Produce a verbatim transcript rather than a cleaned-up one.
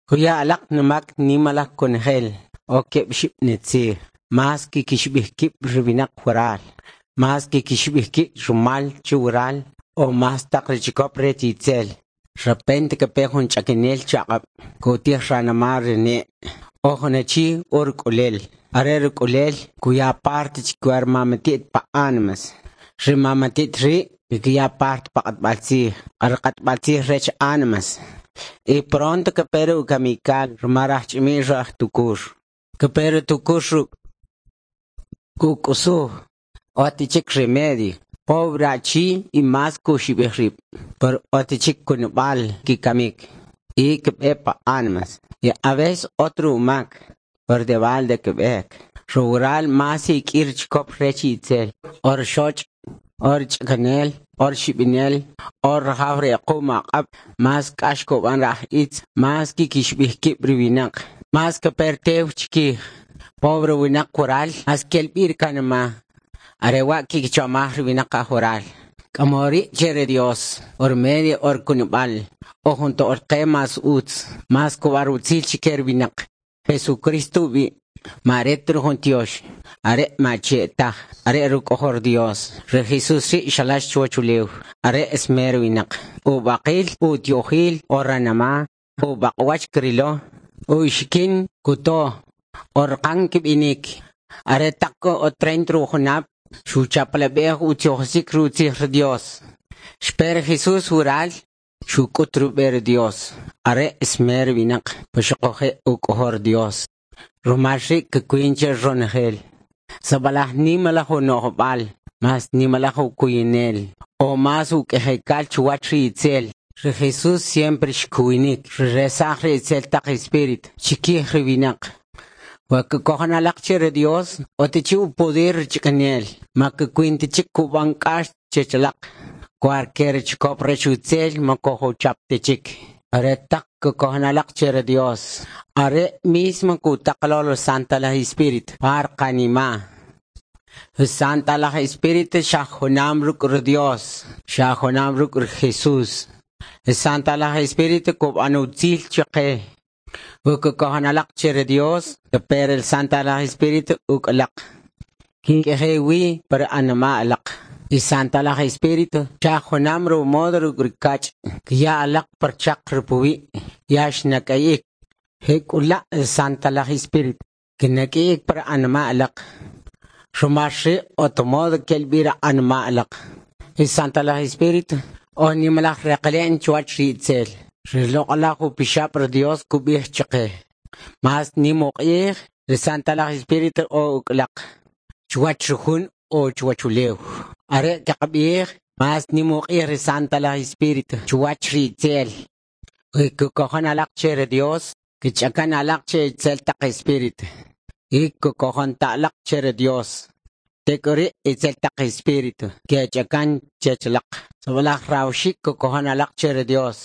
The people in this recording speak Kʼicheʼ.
Kuya alaq numak nimalaj konojel o keb' oxib' nitzij. Mas kikxib'ij kib' ri winaq waral. Mas kikxib'ij kib' rumal che waral o mas taq ri chikop rech itzel. Repente kape jun ch'akanel chaq'ab' kutij ranima' ri ne'. O jun achi o ruk'ulel. Are ruk'ulel kuya parte chike ri mamati't pa ánimas. Ri mamati't ri' kikiya parte pa k'atb'al tzij. Ri k'atb'al tzij rech ánimas. Y pronto kape ri ukamikal rumal raj ch'imiy raj tukur. Kape ri tukur ruk' kuk'usuj ot chik remedio. Pobre achi y mas kuxib'ij rib'. Pero ot chik kunub'al kikamik. Y kb'e pa ánimas. Y a veces otro umak. Pero de balde kb'ek. Rural mas ik'ir chikop rech itzel. Or xoch', or ch'akanel, or xib'inel, or rajaw ri aqum aq'ab', mas k'ax kub'an raj itz, mas kikxib'ij kib' ri winaq, mas kape tew chikij. Pobre winaq waral, mas kelb'i kanima'. Are wa' kikichomaj ri winaq aj waral. K'amori che ri Dios, or medio or kunub'al, o jun to'l qe mas utz, mas kub'an utzil chike ri winaq. Jesucristo ub'i', ma are ta jun tiox, are ma che taj, are ruk'ojol Dios. Ri Jesús ri' xalax chuwach ulew, are esmer winaq. Ub'aqil, utyojil, o ranima', ub'aq'wach krilo, uxikin kuto, o raqan kb'inik. Are taq o treinta ujunab', xuchapalab'ej utzijoxik rutzij ri Dios. Xpe ri Jesús waral, xuk'ut rub'e ri Dios. Are esmer winaq, puxuquje' uk'ojol Dios. Rumal ri' kukwin che ronojel. Sabalaj nimalaj uno'jb'al, mas nimalaj ukuyinel, o mas uk'ejekal chuwach ri itzel. Ri Jesús siempre xkuwinik, xresaj ri itzel taq espíritu, chikij ri winaq. Wa kikojon alaq che ri Dios, otichi upoder ch'akanel, ma kukwin ta chik kub'an k'ax chechalaq. Cualquier chikop rech utzel ma kojuchap ta chik. Are taq kikojon alaq che ri Dios. Are mismo kutaqlo lo Santa laj Espíritu par qanima. Santa laj Espíritu xa junam ruk' ri Dios, xa junam ruk' ri Jesús. Santa laj Espíritu kub'an utzil chaqe. Kikojon alaq che ri Dios, pero el Santa laj Espíritu uk'alaq. Kink'eje wi par anima alaq. Y Santa laj Espíritu xa junam ru modo ruk' ri kach' kiya alaq par chaq ripuwi' ya xnak'ayik. Jek'ula' Santa laj Espíritu kinak'ayik par anima alaq. Rumal ri' otomodo kelb'i ra anima alaq. Y Santa laj Espíritu o nimalaj reqele'n chuwach ri itzel. Ri loq'alaj upixab' ri Dios kub'ij chaqe. Mas nim uq'ij ri Santa laj Espíritu o uk'alaq. Chuwach ri jun o chuwach ulew. Are kaqb'ij mas nim uq'ij ri Santa laj Espíritu chuwach ri itzel. Kikojon alaq che ri Dios, kich'akan alaq che itzel taq espíritu. Y kikojon ta alaq che ri Dios. Tek'uri itzel taq espíritu kech'akan chechalaq. Sabalaj rawxik kikojon alaq che ri Dios.